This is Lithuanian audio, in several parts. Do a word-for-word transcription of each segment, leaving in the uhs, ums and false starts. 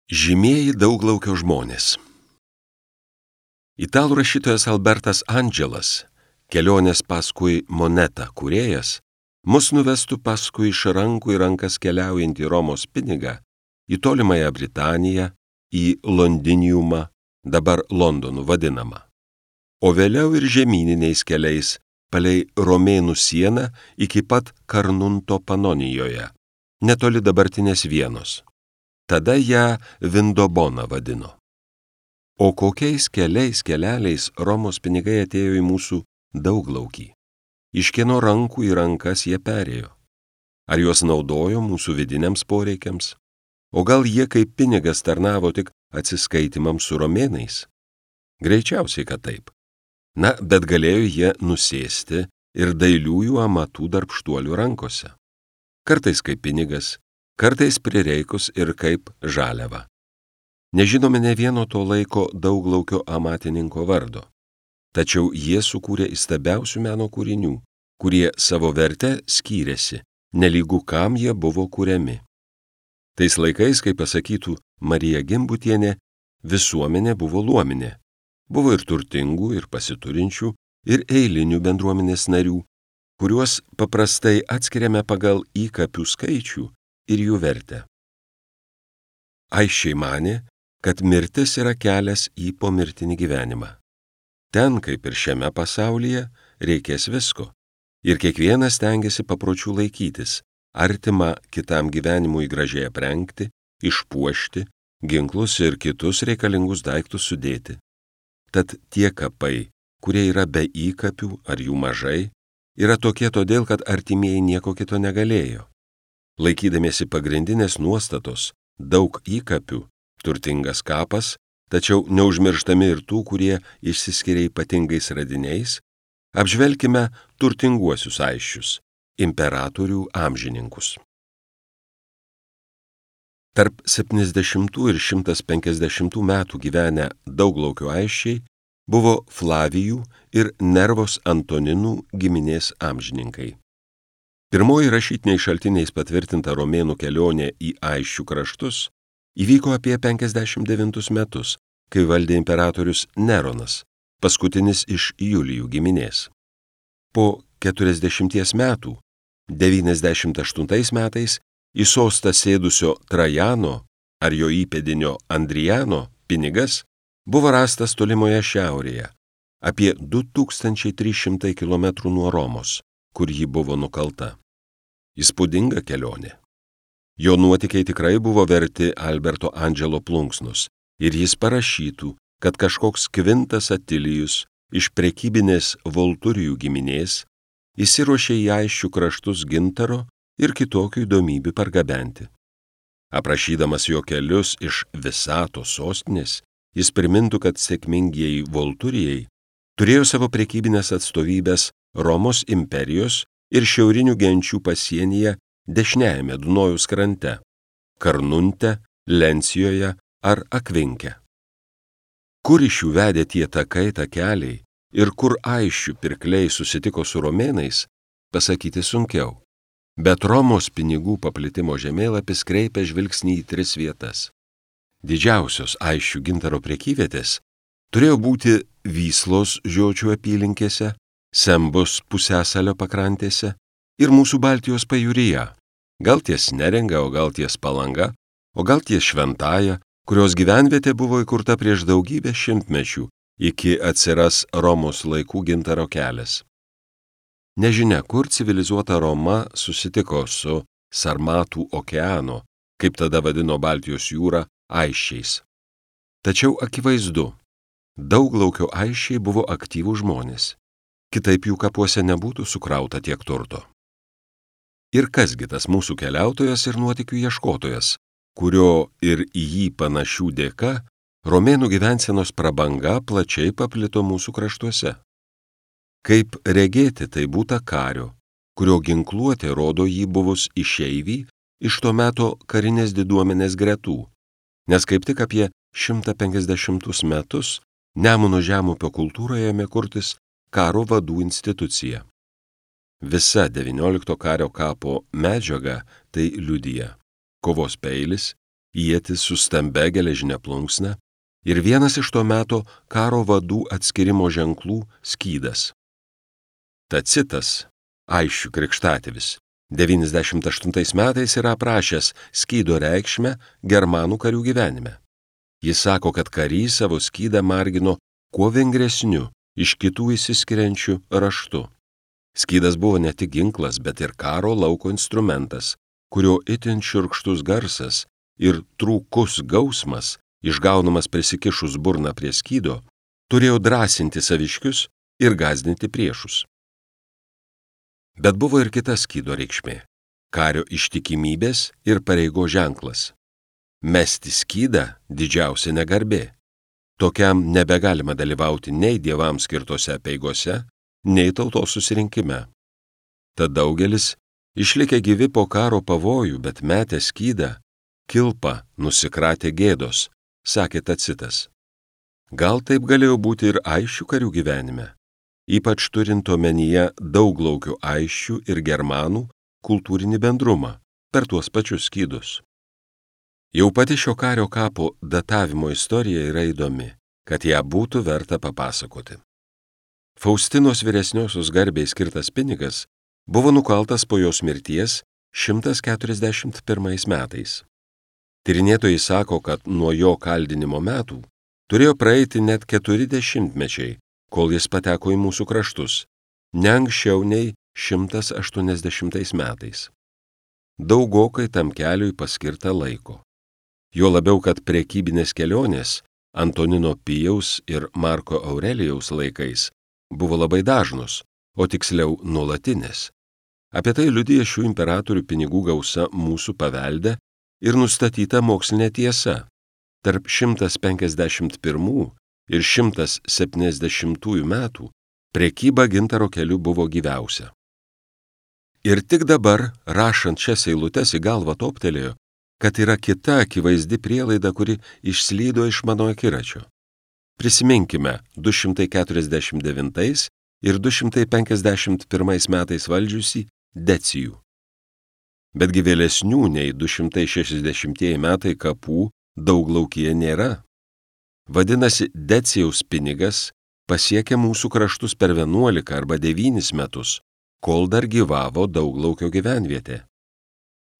Žymieji Dauglaukio žmonės. Italų rašytojas Albertas Andželas, kelionės paskui monetą kūrėjas, mus nuvestų paskui iš rankų į rankas keliaujantį Romos pinigą į tolimąją Britaniją, į Londiniumą, dabar Londonu vadinamą, o vėliau ir žemyniniais keliais palei Romėnų sieną iki pat Karnunto Panonijoje, netoli dabartinės Vienos. Tada ją Vindobona vadino. O kokiais keliais keleliais Romos pinigai atėjo į mūsų Dauglaukį? Iš kieno rankų į rankas jie perėjo? Ar juos naudojo mūsų vidiniams poreikiams? O gal jie kaip pinigas tarnavo tik atsiskaitimams su romėnais? Greičiausiai, kad taip. Na, bet galėjo jie nusėsti ir dailiųjų amatų darbštuolių rankose. Kartais kaip pinigas, kartais prireikus ir kaip žaliava. Nežinome ne vieno to laiko Dauglaukio amatininko vardo, tačiau jie sukūrė įstabiausių meno kūrinių, kurie savo verte skyrėsi, nelygu kam jie buvo kuriami. Tais laikais, kaip pasakytų Marija Gimbutienė, visuomenė buvo luominė. Buvo ir turtingų, ir pasiturinčių, ir eilinių bendruomenės narių, kuriuos paprastai atskiriame pagal įkapių skaičių ir jų vertę. Aisčiai manė, kad mirtis yra kelias į pomirtinį gyvenimą. Ten, kaip ir šiame pasaulyje, reikės visko, ir kiekvienas stengiasi papročių laikytis, artimą kitam gyvenimui gražiai aprengti, išpuošti, ginklus ir kitus reikalingus daiktus sudėti. Tad tie kapai, kurie yra be įkapių ar jų mažai, yra tokie todėl, kad artimieji nieko kito negalėjo. Laikydamiesi pagrindinės nuostatos, daug įkapių, turtingas kapas, tačiau neužmirštami ir tų, kurie išsiskiria ypatingais radiniais, apžvelkime turtinguosius aisčius, imperatorių amžininkus. Tarp septyniasdešimtų ir šimtas penkiasdešimtų metų gyvenę Dauglaukio aisčiai buvo Flavijų ir Nervos Antoninų giminės amžininkai. Pirmoji rašytiniais šaltiniais patvirtinta romėnų kelionė į Aisčių kraštus įvyko apie penkiasdešimt devintus metus, kai valdė imperatorius Neronas, paskutinis iš Julijų giminės. Po keturiasdešimties metų, devyniasdešimt aštuntais metais, į sostą sėdusio Trajano ar jo įpėdinio Andrijano pinigas buvo rastas tolimoje šiaurėje, apie du tūkstančiai trys šimtai kilometrų nuo Romos, kur ji buvo nukalta. Įspūdinga kelionė. Jo nuotykiai tikrai buvo verti Alberto Andželo plunksnus ir jis parašytų, kad kažkoks Kvintas Atilijus iš prekybinės Volturijų giminės įsiruošė į Aisčių kraštus gintaro ir kitokių įdomybių pargabenti. Aprašydamas jo kelius iš Visatos sostinės, jis primintų, kad sėkmingieji Volturijai turėjo savo prekybinės atstovybės Romos imperijos ir šiaurinių genčių pasienyje dešiniajame Dunojaus krante – Karnunte, Lencijoje ar Akvinke. Kur iš jų vedė tie takai, takeliai ir kur Aisčių pirkliai susitiko su romėnais, pasakyti sunkiau. Bet Romos pinigų paplitimo žemėlapis kreipia žvilgsnį į tris vietas. Didžiausios Aisčių gintaro prekyvietės turėjo būti Vyslos žiočių apylinkėse, Sembos pusiasalio pakrantėse ir mūsų Baltijos pajūryje, gal ties Neringa, o gal ties Palanga, o gal ties Šventaja, kurios gyvenvietė buvo įkurta prieš daugybę šimtmečių, iki atsiras Romos laikų gintaro kelias. Nežinia, kur civilizuota Roma susitiko su Sarmatų okeano, kaip tada vadino Baltijos jūrą, aisčiais. Tačiau akivaizdu, Dauglaukio aisčiai buvo aktyvūs žmonės. Kitaip jų kapuose nebūtų sukrauta tiek turto. Ir kasgi tas mūsų keliautojas ir nuotykių ieškotojas, kurio ir į jį panašių dėka romėnų gyvensenos prabanga plačiai paplito mūsų kraštuose. Kaip regėti, tai būta kario, kurio ginkluotė rodo jį buvus išeivį iš to meto karinės diduomenės gretų, nes kaip tik apie šimtą penkiasdešimtus metus Nemuno žemupio kultūroje ėmė kurtis karo vadų institucija. Visa devyniolikto kario kapo medžiaga tai liudija. Kovos peilis, ietis su stambia geležinė plunksna ir vienas iš to meto karo vadų atskirimo ženklų skydas. Tacitas, Aisčių krikštatėvis, devyniasdešimt aštuntais metais yra aprašęs skydo reikšmę germanų karių gyvenime. Jis sako, kad karys savo skydą margino kuo vingresniu, iš kitų išsiskiriančių raštu. Skydas buvo ne tik ginklas, bet ir karo lauko instrumentas, kurio itin šiurkštus garsas ir trūkus gausmas, išgaunamas prisikišus burną prie skydo, turėjo drąsinti saviškius ir gąsdinti priešus. Bet buvo ir kita skydo reikšmė – kario ištikimybės ir pareigo ženklas. Mesti skydą didžiausia negarbė. Tokiam nebegalima dalyvauti nei dievams skirtose apeigose, nei tautos susirinkime. Tad daugelis, išlikę gyvi po karo pavojų, bet metę skydą, kilpą nusikratė gėdos, sakė Tacitas. Gal taip galėjo būti ir Aisčių karių gyvenime, ypač turint omenyje dauglaukių Aisčių ir germanų kultūrinį bendrumą per tuos pačius skydus. Jau pati šio kario kapo datavimo istorija yra įdomi, kad ją būtų verta papasakoti. Faustinos vyresniosios garbei skirtas pinigas buvo nukaltas po jos mirties šimtas keturiasdešimt pirmais metais. Tyrinėtojai sako, kad nuo jo kaldinimo metų turėjo praeiti net keturi dešimtmečiai, kol jis pateko į mūsų kraštus, ne anksčiau nei šimtas aštuoniasdešimtais metais. Daugokai tam keliui paskirta laiko. Jo labiau, kad prekybinės kelionės Antonino Pijaus ir Marko Aurelijaus laikais buvo labai dažnos, o tiksliau nuolatinės. Apie tai liudija šių imperatorių pinigų gausa mūsų pavelde ir nustatyta mokslinė tiesa. Tarp šimtas penkiasdešimt pirmų ir šimtas septyniasdešimtųjų metų prekyba gintaro keliu buvo gyviausia. Ir tik dabar, rašant šias eilutes, į galvą toptelėjo, kad yra kita akivaizdi prielaida, kuri išslydo iš mano akiračio. Prisiminkime du šimtai keturiasdešimt devintais ir du šimtai penkiasdešimt pirmais metais valdžiusį Decijų. Betgi vėlesnių nei du šimtai šešiasdešimtieji metai kapų Dauglaukyje nėra. Vadinasi, Decijaus pinigas pasiekė mūsų kraštus per vienuolika arba devynis metus, kol dar gyvavo Dauglaukio gyvenvietė.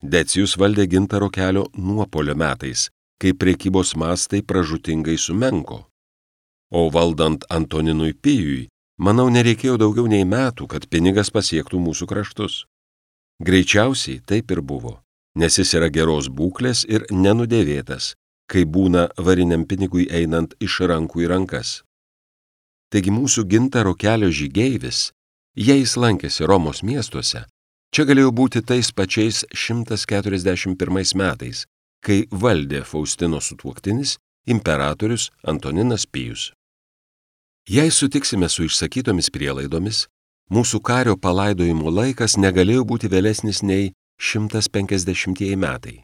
Decijus valdė gintaro kelio nuopolio metais, kai prekybos mastai pražūtingai sumenko. O valdant Antoninui Pijui, manau, nereikėjo daugiau nei metų, kad pinigas pasiektų mūsų kraštus. Greičiausiai taip ir buvo, nes jis yra geros būklės ir nenudėvėtas, kai būna variniam pinigui einant iš rankų į rankas. Taigi mūsų gintaro kelio žygeivis, jei jis lankėsi Romos miestuose, čia galėjo būti tais pačiais šimtas keturiasdešimt pirmais metais, kai valdė Faustino sutuoktinis imperatorius Antoninas Pijus. Jei sutiksime su išsakytomis prielaidomis, mūsų kario palaidojimo laikas negalėjo būti vėlesnis nei šimtas penkiasdešimtieji metai.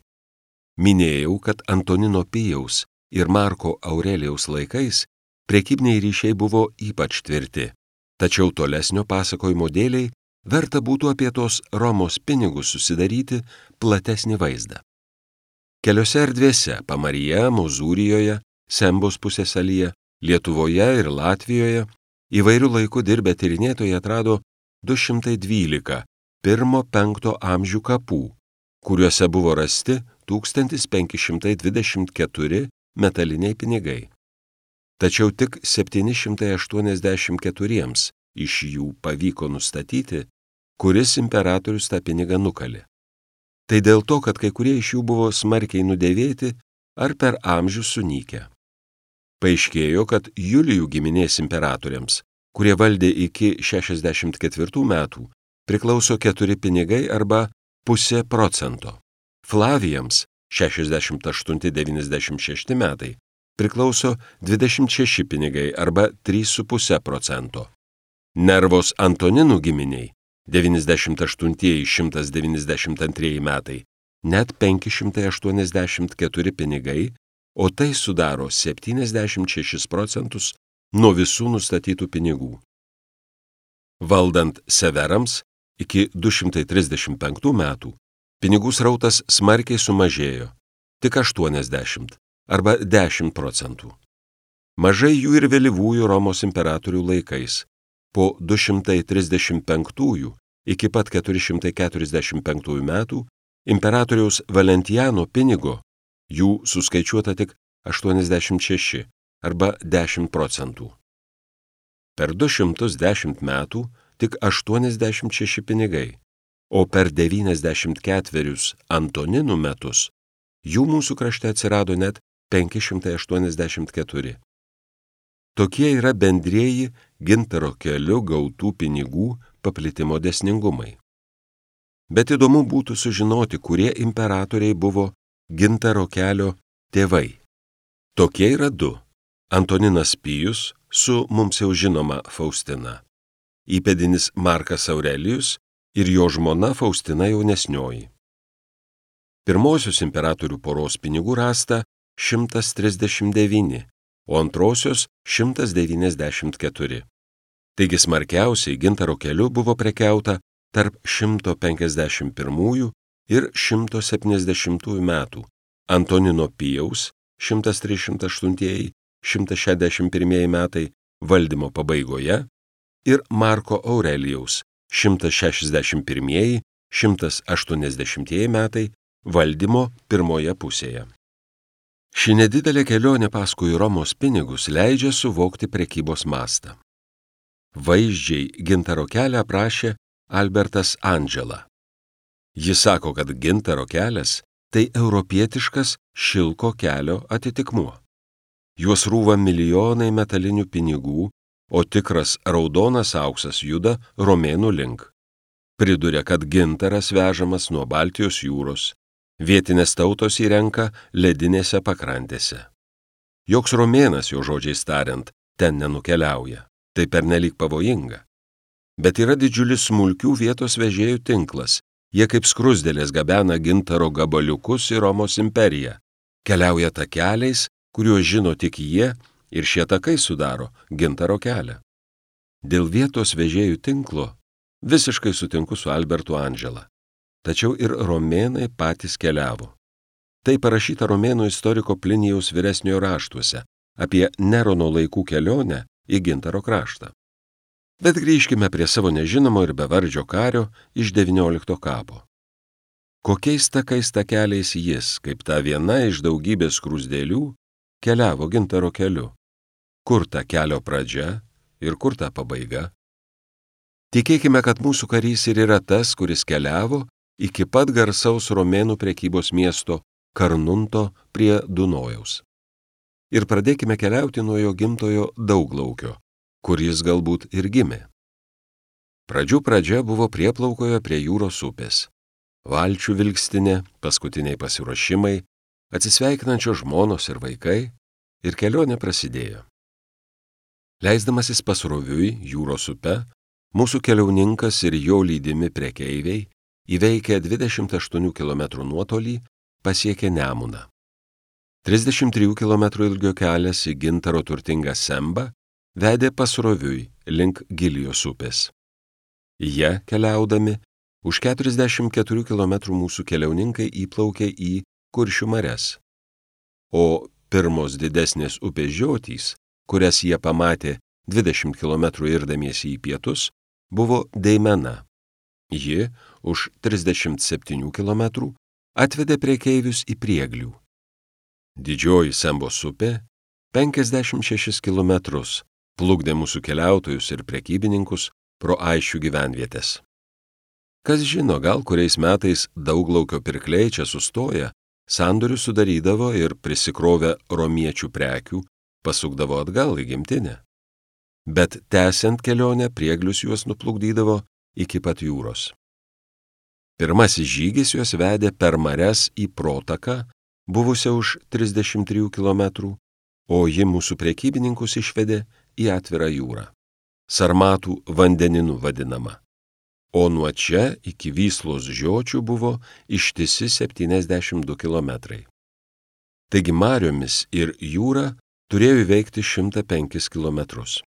Minėjau, kad Antonino Pijaus ir Marko Aurelijaus laikais prekybiniai ryšiai buvo ypač tvirti, tačiau tolesnio pasakojimo dėliai verta būtų apie tos Romos pinigus susidaryti platesnį vaizdą. Keliose erdvėse – Pamaryje, Mozūrijoje, Sembos pusiasalyje, Lietuvoje ir Latvijoje – įvairių laikų dirbę tyrinėtojai atrado du šimtai dvylika pirmo-penkto amžių kapų, kuriuose buvo rasti tūkstantis penki šimtai dvidešimt keturi metaliniai pinigai. Tačiau tik septyni šimtai aštuoniasdešimt keturiems iš jų pavyko nustatyti, kuris imperatorius tą pinigą nukalė. Tai dėl to, kad kai kurie iš jų buvo smarkiai nudėvėti ar per amžius sunykę. Paaiškėjo, kad Julijų giminės imperatoriams, kurie valdė iki šešiasdešimt ketvirtų metų, priklauso keturi pinigai arba pusė procento. Flavijams šešiasdešimt aštunti devyniasdešimt šešti metai priklauso dvidešimt šeši pinigai arba trys su puse procento. Nervos Antoninų giminiai devyniasdešimt aštuntieji šimtas devyniasdešimt antrieji metai net penki šimtai aštuoniasdešimt keturi pinigai, o tai sudaro septyniasdešimt šešis procentus nuo visų nustatytų pinigų. Valdant Severams iki du šimtai trisdešimt penktų metų pinigų srautas smarkiai sumažėjo, tik aštuoniasdešimt arba dešimt procentų. Mažai jų ir vėlyvųjų Romos imperatorių laikais, po du šimtai trisdešimt penktųjų iki pat keturi šimtai keturiasdešimt penktųjų metų imperatoriaus Valentijano pinigo jų suskaičiuota tik aštuoniasdešimt šeši arba dešimt procentų. Per du šimtus dešimt metų tik aštuoniasdešimt šeši pinigai, o per devyniasdešimt ketverius Antoninų metus jų mūsų krašte atsirado net penki šimtai aštuoniasdešimt keturi. Tokie yra bendrieji gintaro keliu gautų pinigų paplitimo dėsningumai. Bet įdomu būtų sužinoti, kurie imperatoriai buvo gintaro kelio tėvai. Tokie yra du – Antoninas Pijus su mums jau žinoma Faustina, įpėdinis Markas Aurelijus ir jo žmona Faustina jaunesnioji. Pirmosios imperatorių poros pinigų rasta šimtas trisdešimt devyni, o antrosios šimtas devyniasdešimt keturi. Taigi smarkiausiai gintaro keliu buvo prekiauta tarp šimto penkiasdešimt pirmųjų ir šimto septyniasdešimtųjų metų Antonino Pijaus šimtas trisdešimt aštuntieji - šimtas šešiasdešimt pirmieji metai valdymo pabaigoje ir Marko Aurelijaus šimtas šešiasdešimt pirmieji - šimtas aštuoniasdešimtieji metai valdymo pirmoje pusėje. Ši nedidelė kelionė paskui Romos pinigus leidžia suvokti prekybos mastą. Vaizdžiai gintaro kelią aprašė Albertas Angela. Jis sako, kad gintaro kelias tai europietiškas šilko kelio atitikmuo. Juos rūva milijonai metalinių pinigų, o tikras raudonas auksas juda romėnų link. Priduria, kad gintaras vežamas nuo Baltijos jūros, vietinės tautos įrenka ledinėse pakrantėse. Joks romėnas, jo žodžiais tariant, ten nenukeliauja, tai pernelyg pavojinga. Bet yra didžiulis smulkių vietos vežėjų tinklas, jie kaip skruzdėlės gabena gintaro gabaliukus į Romos imperiją, keliauja takeliais, kuriuos žino tik jie, ir šie takai sudaro gintaro kelią. Dėl vietos vežėjų tinklo visiškai sutinku su Albertu Angela. Tačiau ir romėnai patys keliavo. Tai parašyta romėnų istoriko Plinijaus vyresniojo raštuose apie Nerono laikų kelionę į gintaro kraštą. Bet grįžkime prie savo nežinomo ir bevardžio kario iš devyniolikto kapo. Kokiais takais takeliais jis, kaip ta viena iš daugybės skruzdėlių, keliavo gintaro keliu? Kur ta kelio pradžia ir kur ta pabaiga? Tikėkime, kad mūsų karys ir yra tas, kuris keliavo iki pat garsaus romėnų prekybos miesto Karnunto prie Dunojaus. Ir pradėkime keliauti nuo jo gimtojo Dauglaukio, kur jis galbūt ir gimė. Pradžių pradžia buvo prieplaukoje prie jūros upės. Valčių vilkstinė, paskutiniai pasiruošimai, atsisveikinančios žmonos ir vaikai, ir kelionė prasidėjo. Leisdamasis pasroviui jūros upe, mūsų keliauninkas ir jo lydimi prekeiviai įveikę dvidešimt aštuonių kilometrų nuotolį pasiekė Nemuną. trisdešimt trijų kilometrų ilgio kelias į gintaro turtingą Sembą vedė pasroviui link Gilijos upės. Jie, keliaudami, už keturiasdešimt keturių kilometrų mūsų keliauninkai įplaukė į Kuršių marias. O pirmos didesnės upės žiotys, kurias jie pamatė dvidešimt kilometrų irdamiesi į pietus, buvo Deimena. Ji už trisdešimt septynių kilometrų atvedė prekeivius į Prieglių. Didžioji Sembos upė penkiasdešimt šešis kilometrus plukdė mūsų keliautojus ir prekybininkus pro Aišių gyvenvietės. Kas žino, gal kuriais metais Dauglaukio pirkliai čia sustoja, sandorių sudarydavo ir prisikrovę romiečių prekių pasukdavo atgal į gimtinę. Bet tęsiant kelionę Prieglius juos nuplukdydavo iki pat jūros. Pirmasis žygis juos vedė per marias į Protaką, buvusią už trisdešimt trijų kilometrų, o ji mūsų prekybininkus išvedė į atvirą jūrą. Sarmatų vandeninu vadinama. O nuo čia iki Vyslos žiočių buvo ištisi septyniasdešimt du kilometrai. Taigi mariomis ir jūra turėjo įveikti šimtą penkis kilometrus.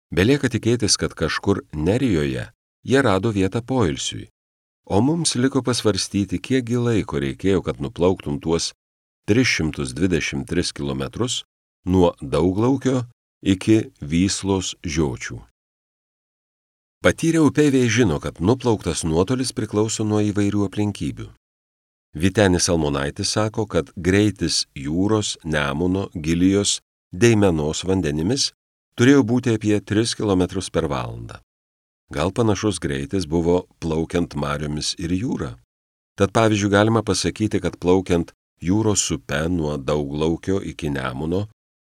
Belieka tikėtis, kad kažkur Nerijoje jie rado vietą poilsiui, o mums liko pasvarstyti, kiekgi laiko reikėjo, kad nuplauktum tuos tris šimtus dvidešimt tris kilometrus nuo Dauglaukio iki Vyslos žiočių. Patyrę upeiviai žino, kad nuplauktas nuotolis priklauso nuo įvairių aplinkybių. Vytenis Almonaitis sako, kad greitis jūros, Nemuno, Gilijos, Deimenos vandenimis turėjo būti apie tris kilometrus per valandą. Gal panašus greitis buvo plaukiant mariomis ir jūra. Tad pavyzdžiui galima pasakyti, kad plaukiant jūros upe nuo Dauglaukio iki Nemuno,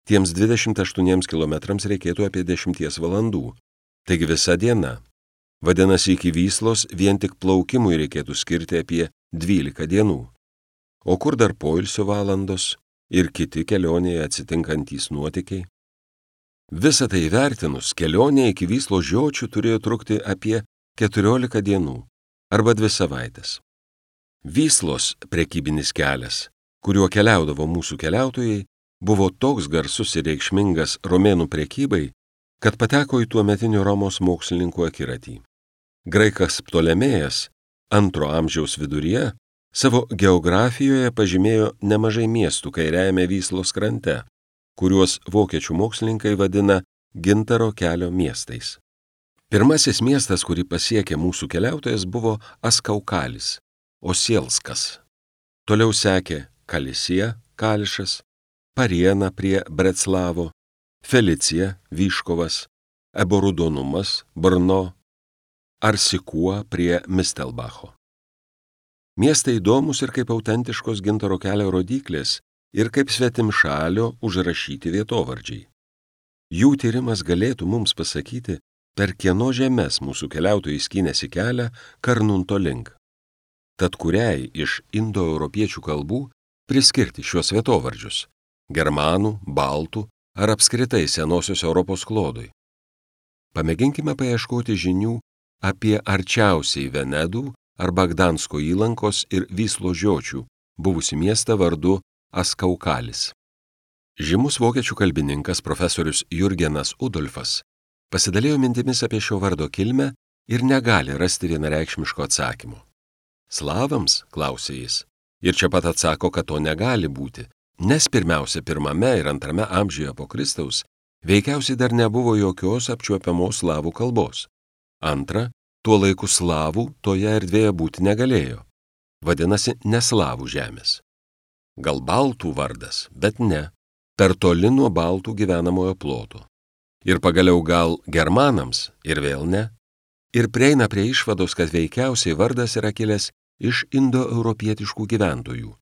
tiems dvidešimt aštuoniems kilometrams reikėtų apie dešimties valandų. Taigi visa diena. Vadinasi, iki Vyslos vien tik plaukimui reikėtų skirti apie dvylika dienų. O kur dar poilsio valandos ir kiti kelionėje atsitinkantys nuotykiai? Visą tai vertinus, kelionė iki Vyslos žiočių turėjo trukti apie keturiolika dienų arba dvi savaitės. Vyslos prekybinis kelias, kuriuo keliaudavo mūsų keliautojai, buvo toks garsus ir reikšmingas romėnų prekybai, kad pateko į tuometinio Romos mokslininkų akiratį. Graikas Ptolemėjas antro amžiaus viduryje savo geografijoje pažymėjo nemažai miestų kairiajame Vyslos krante, kuriuos vokiečių mokslininkai vadina Gintaro kelio miestais. Pirmasis miestas, kurį pasiekė mūsų keliautojas, buvo Askaukalis, Osielskas. Toliau sekė Kalisija, Kališas, Pariena prie Breclavo, Felicija, Vyškovas, Eborudonumas, Brno, Arsikua prie Mistelbacho. Miestai įdomus ir kaip autentiškos Gintaro kelio rodyklės ir kaip svetimšalio užrašyti vietovardžiai. Jų tyrimas galėtų mums pasakyti, per kieno žemes mūsų keliautojai skynėsi kelią Karnunto link. Tad kuriai iš indoeuropiečių kalbų priskirti šios vietovardžius – germanų, baltų ar apskritai senosios Europos klodui? Pamėginkime paieškoti žinių apie arčiausiai Venedų arba Gdansko įlankos ir Vyslos žiočių buvusi miestą vardu Askaukalis. Žymus vokiečių kalbininkas profesorius Jurgenas Udolfas pasidalijo mintimis apie šio vardo kilmę ir negali rasti vienareikšmiško atsakymo. Slavams, klausė jis, ir čia pat atsako, kad to negali būti, nes pirmiausia pirmame ir antrame amžiuje po Kristaus veikiausiai dar nebuvo jokios apčiuopiamos slavų kalbos. Antra, tuo laiku slavų toje erdvėje būti negalėjo. Vadinasi, ne slavų žemės. Gal baltų vardas, bet ne, per toli nuo baltų gyvenamojo ploto. Ir pagaliau gal germanams, ir vėl ne. Ir prieina prie išvados, kad veikiausiai vardas yra kilęs iš indoeuropietiškų gyventojų.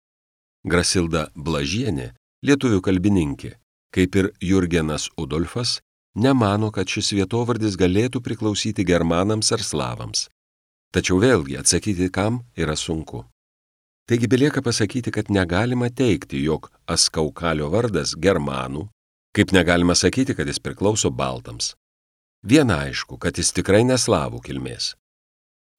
Grasilda Blažienė, lietuvių kalbininkė, kaip ir Jurgenas Udolfas, nemano, kad šis vietovardis galėtų priklausyti germanams ar slavams. Tačiau vėlgi atsakyti, kam yra sunku. Taigi belieka pasakyti, kad negalima teigti, jog Askaukalio vardas germanų, kaip negalima sakyti, kad jis priklauso baltams. Viena aišku, kad jis tikrai ne slavų kilmės.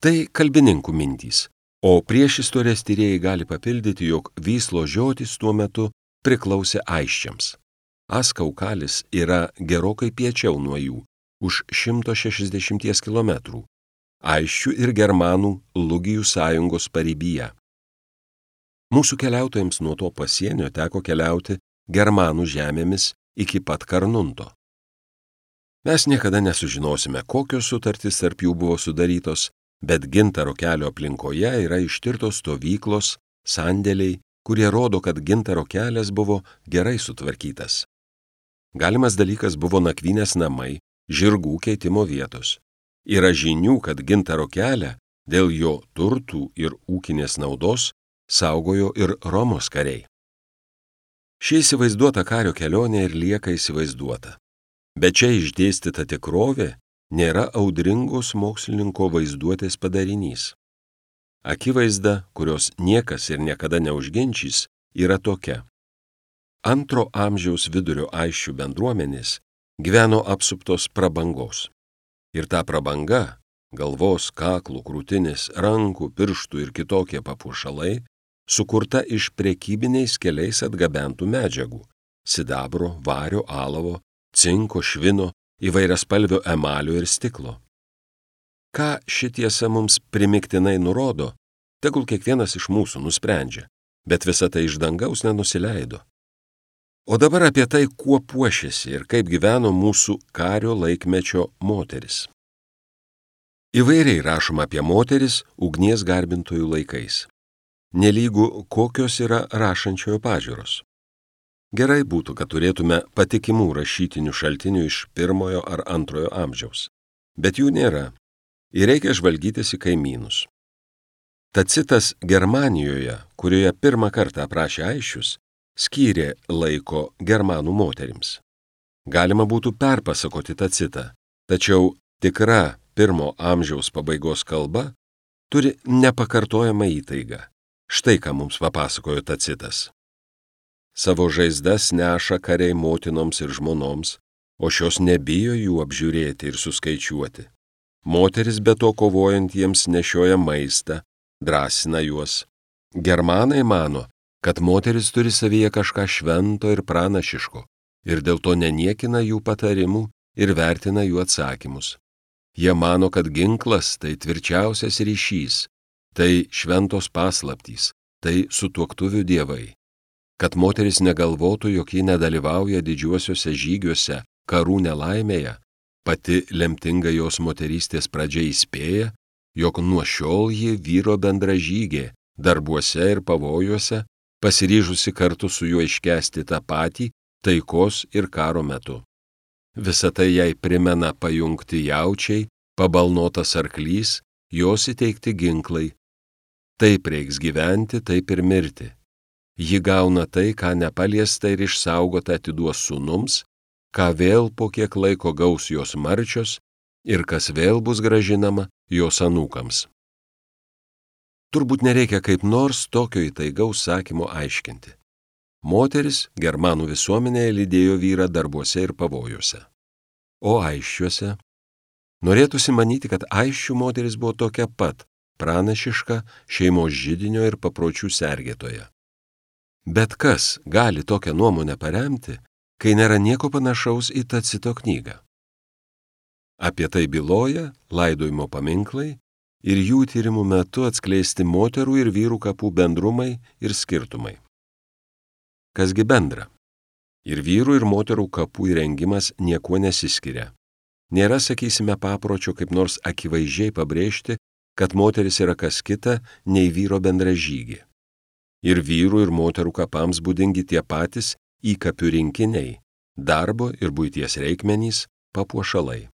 Tai kalbininkų mintys, o priešistorės tyrėjai gali papildyti, jog Vyslos žiotys tuo metu priklausė Aisčiams. Askaukalis yra gerokai piečiau nuo jų, už šimto šešiasdešimties kilometrų, Aisčių ir germanų Lugijų sąjungos paribyje. Mūsų keliautojams nuo to pasienio teko keliauti germanų žemėmis iki pat Karnunto. Mes niekada nesužinosime, kokios sutartys tarp jų buvo sudarytos, bet Gintaro kelio aplinkoje yra ištirtos stovyklos, sandėliai, kurie rodo, kad Gintaro kelias buvo gerai sutvarkytas. Galimas dalykas buvo nakvynės namai, žirgų keitimo vietos. Yra žinių, kad Gintaro kelią dėl jo turtų ir ūkinės naudos saugojo ir Romos kariai. Ši įsivaizduota kario kelionė ir lieka įsivaizduota. Bet čia išdėstyta tikrovė nėra audringos mokslininko vaizduotės padarinys. Akivaizda, kurios niekas ir niekada neužginčys, yra tokia. Antro amžiaus vidurio Aisčių bendruomenės gyveno apsuptos prabangos. Ir ta prabanga, galvos, kaklų, krūtinės, rankų, pirštų ir kitokie papuošalai, sukurta iš prekybiniais keliais atgabentų medžiagų – sidabro, vario, alavo, cinko, švino, įvairiaspalvio emalio ir stiklo. Ką ši tiesa mums primiktinai nurodo, tegul kiekvienas iš mūsų nusprendžia, bet visa tai iš dangaus nenusileido. O dabar apie tai, kuo puošėsi ir kaip gyveno mūsų kario laikmečio moteris. Įvairiai rašoma apie moteris ugnies garbintojų laikais. Nelygu kokios yra rašančiojo pažiūros. Gerai būtų, kad turėtume patikimų rašytinių šaltinių iš pirmojo ar antrojo amžiaus. Bet jų nėra ir reikia žvalgytis į kaimynus. Tacitas Germanijoje, kurioje pirmą kartą aprašė aisčius, skyrė laiko germanų moterims. Galima būtų perpasakoti Tacitą, tačiau tikra pirmo amžiaus pabaigos kalba turi nepakartojamą įtaigą. Štai ką mums papasakojo Tacitas. Savo žaizdas neša kariai motinoms ir žmonoms, o šios nebijo jų apžiūrėti ir suskaičiuoti. Moteris be to kovojant jiems nešioja maistą, drąsina juos. Germanai mano, kad moteris turi savyje kažką švento ir pranašiško, ir dėl to neniekina jų patarimų ir vertina jų atsakymus. Jie mano, kad ginklas tai tvirčiausias ryšys, tai šventos paslaptys, tai sutuoktuvių dievai. Kad moteris negalvotų, jog ji nedalyvauja didžiuosiuose žygiuose, karų nelaimėje, pati lemtinga jos moterystės pradžia įspėja, jog nuo šiol ji vyro bendražygė, darbuose ir pavojuose, pasiryžusi kartu su juo iškęsti tą patį taikos ir karo metu. Visa tai jai primena pajungti jaučiai, pabalnotas arklys, jos įteikti ginklai. Taip reiks gyventi, taip ir mirti. Ji gauna tai, ką nepaliesta ir išsaugota atiduos sūnums, ką vėl po kiek laiko gaus jos marčios ir kas vėl bus gražinama jos anūkams. Turbūt nereikia kaip nors tokio įtaigaus sakymo aiškinti. Moteris germanų visuomenėje lydėjo vyrą darbuose ir pavojuose. O aisčiuose? Norėtųsi manyti, kad aisčių moteris buvo tokia pat, pranašiška šeimos židinio ir papročių sergėtoja. Bet kas gali tokią nuomonę paremti, kai nėra nieko panašaus į Tacito knygą? Apie tai byloja laidojimo paminklai ir jų tyrimų metu atskleisti moterų ir vyrų kapų bendrumai ir skirtumai. Kasgi bendra? Ir vyrų ir moterų kapų įrengimas niekuo nesiskiria. Nėra, sakysime, papročio kaip nors akivaizdžiai pabrėžti, kad moteris yra kas kita nei vyro bendražygė. Ir vyrų ir moterų kapams būdingi tie patys įkapių rinkiniai, darbo ir buities reikmenys, papuošalai.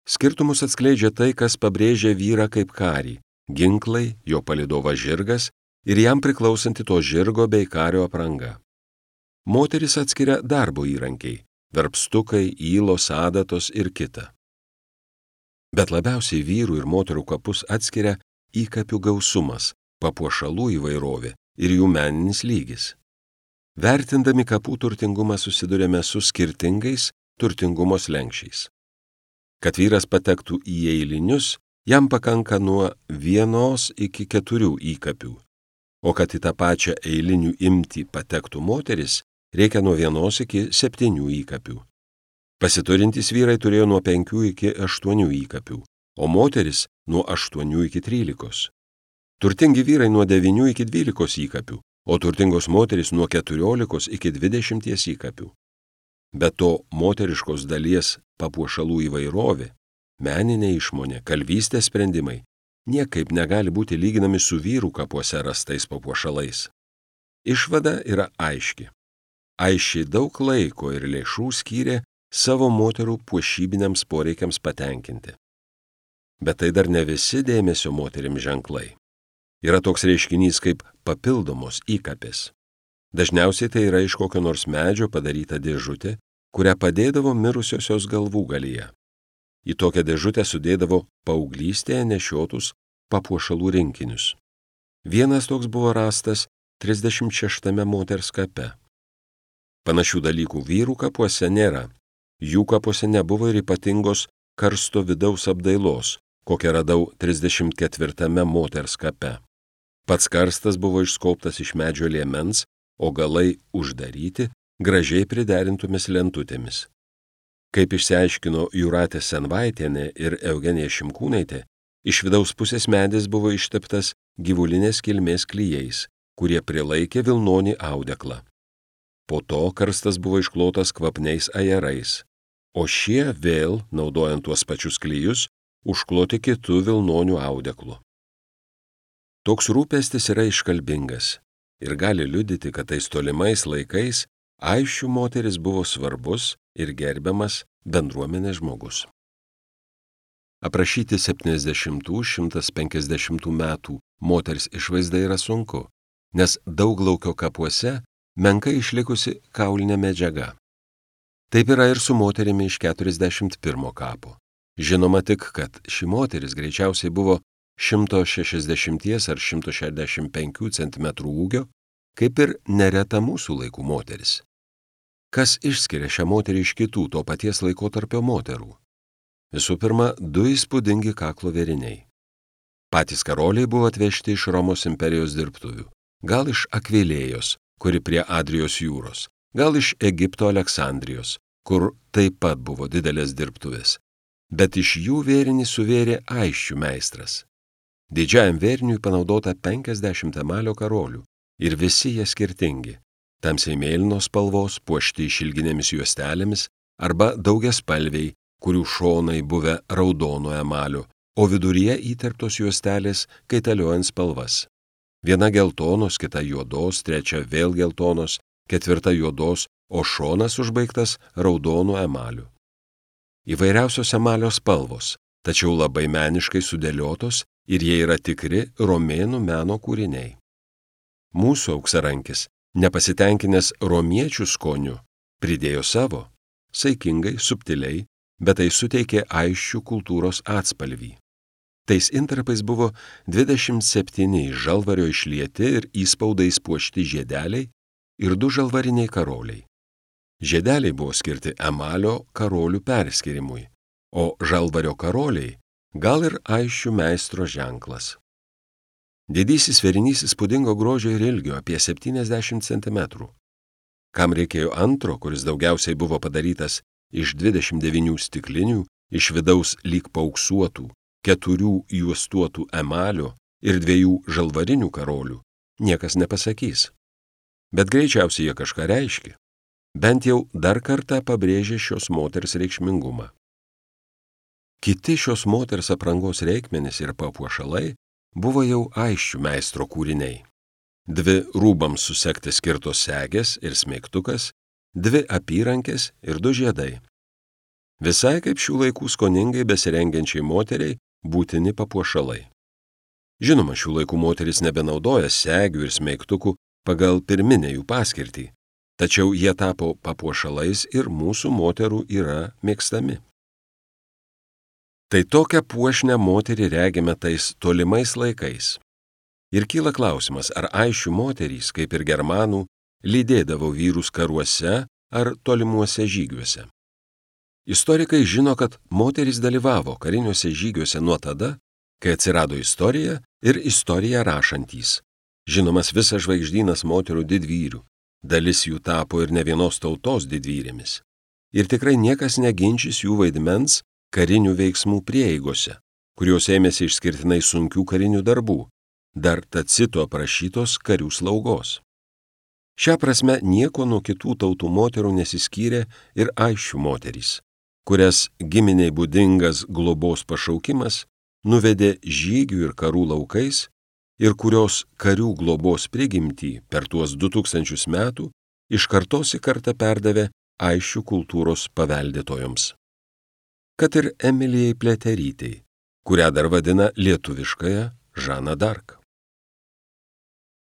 Skirtumus atskleidžia tai, kas pabrėžia vyrą kaip karį, ginklai, jo palydovas žirgas ir jam priklausanti to žirgo bei kario apranga. Moteris atskiria darbo įrankiai, verpstukai, ylos, adatos ir kita. Bet labiausiai vyrų ir moterų kapus atskiria įkapių gausumas, papuošalų įvairovė ir jų meninis lygis. Vertindami kapų turtingumą susidurėme su skirtingais turtingumo slenksčiais. Kad vyras patektų į eilinius, jam pakanka nuo vienos iki keturių įkapių, o kad į tą pačią eilinių imtį patektų moteris, reikia nuo vienos iki septynių įkapių. Pasiturintys vyrai turėjo nuo penkių iki aštuonių įkapių, o moteris nuo aštuonių iki trylikos. Turtingi vyrai nuo devynių iki dvylikos įkapių, o turtingos moterys nuo keturiolikos iki dvidešimties įkapių. Be to, moteriškos dalies papuošalų įvairovė, meninė išmonė, kalvystės sprendimai niekaip negali būti lyginami su vyrų kapuose rastais papuošalais. Išvada yra aiški. Aiškiai daug laiko ir lėšų skyrė savo moterų puošybiniams poreikiams patenkinti. Bet tai dar ne visi dėmesio moterims ženklai. Yra toks reiškinys kaip papildomos įkapės. Dažniausiai tai yra iš kokio nors medžio padaryta dėžutė, kurią padėdavo mirusiosios galvų galyje. Į tokią dėžutę sudėdavo paauglystėje nešiotus papuošalų rinkinius. Vienas toks buvo rastas trisdešimt šeštame moters kape. Panašių dalykų vyrų kapuose nėra. Jų kapuose nebuvo ir ypatingos karsto vidaus apdailos, kokią radau trisdešimt ketvirtame moters kape. Pats karstas buvo išskobtas iš medžio liemens, o galai uždaryti gražiai priderintomis lentutėmis. Kaip išsiaiškino Jūratė Senvaitienė ir Eugenija Šimkūnaitė, iš vidaus pusės medis buvo išteptas gyvulinės kilmės klijais, kurie prilaikė vilnonį audeklą. Po to karstas buvo išklotas kvapniais ajerais, o šie vėl, naudojant tuos pačius klijus, užkloti kitų vilnonių audeklu. Toks rūpestis yra iškalbingas ir gali liudyti, kad tais tolimais laikais Aisčių moteris buvo svarbus ir gerbiamas bendruomenės žmogus. Aprašyti septyniasdešimtų šimtas penkiasdešimtų metų moters išvaizda yra sunku, nes Dauglaukio kapuose menkai išlikusi kaulinė medžiaga. Taip yra ir su moterimi iš keturiasdešimt pirmo kapo. Žinoma tik, kad ši moteris greičiausiai buvo šimto šešiasdešimties ar šimto šešiasdešimt penkių centimetrų ūgio, kaip ir nereta mūsų laikų moteris. Kas išskiria šią moterį iš kitų to paties laikotarpio moterų? Visų pirma, du įspūdingi kaklo vėriniai. Patys karoliai buvo atvežti iš Romos imperijos dirbtuvių, gal iš Akvilėjos, kuri prie Adrijos jūros, gal iš Egipto Aleksandrijos, kur taip pat buvo didelės dirbtuvės, bet iš jų vėrinį suvėrė Aisčių meistras. Didžiajam vėriniui panaudota penkiasdešimt emalio karolių ir visi jie skirtingi. Tamsiai mėlynos spalvos, puošti išilginėmis juostelėmis arba daugiaspalviai, kurių šonai buvę raudono emalio, o viduryje įterptos juostelės kaitaliojant spalvas. Viena geltonos, kita juodos, trečia vėl geltonos, ketvirta juodos, o šonas užbaigtas raudonu emaliu. Įvairiausios emalio spalvos, tačiau labai meniškai sudėliotos ir jie yra tikri romėnų meno kūriniai. Mūsų auksarankis, nepasitenkinęs romiečių skoniu, pridėjo savo, saikingai, subtiliai, bet tai suteikė Aisčių kultūros atspalvį. Tais intarpais buvo dvidešimt septyni iš žalvario išlieti ir įspaudais puošti žiedeliai ir du žalvariniai karoliai. Žiedeliai buvo skirti emalio karolių perskirimui, o žalvario karoliai gal ir Aisčių meistro ženklas. Didysis vėrinys įspūdingo grožio ir ilgio apie septyniasdešimt centimetrų. Kam reikėjo antro, kuris daugiausiai buvo padarytas iš dvidešimt devynių stiklinių, iš vidaus lyg paauksuotų, keturių juostuotų emalio ir dviejų žalvarinių karolių, niekas nepasakys. Bet greičiausiai jie kažką reiškia. Bent jau dar kartą pabrėžė šios moters reikšmingumą. Kiti šios moters aprangos reikmenys ir papuošalai buvo jau Aisčių meistro kūriniai. Dvi rūbams susekti skirtos segės ir smeigtukas, dvi apyrankės ir du žiedai. Visai kaip šių laikų skoningai besirengiančiai moteriai būtini papuošalai. Žinoma, šių laikų moteris nebenaudoja segių ir smeigtukų pagal pirminę jų paskirtį, tačiau jie tapo papuošalais ir mūsų moterų yra mėgstami. Tai tokią puošnę moterį regime tais tolimais laikais. Ir kyla klausimas, ar Aisčių moterys, kaip ir germanų, lydėdavo vyrus karuose ar tolimuose žygiuose. Istorikai žino, kad moterys dalyvavo kariniuose žygiuose nuo tada, kai atsirado istorija ir istoriją rašantys. Žinomas visas žvaigždynas moterų didvyrių, dalis jų tapo ir ne vienos tautos didvyrėmis. Ir tikrai niekas neginčys jų vaidmens karinių veiksmų prieigose, kurios ėmėsi išskirtinai sunkių karinių darbų, dar Tacito aprašytos karių slaugos. Šią prasme nieko nuo kitų tautų moterų nesiskyrė ir Aisčių moterys, kurias giminiai būdingas globos pašaukimas nuvedė žygių ir karų laukais ir kurios karių globos prigimtį per tuos du tūkstančius metų iš kartos į kartą perdavė Aisčių kultūros paveldėtojoms. Kad ir Emilijai Pliaterytei, kurią dar vadina lietuviškąją Žaną d'Arc.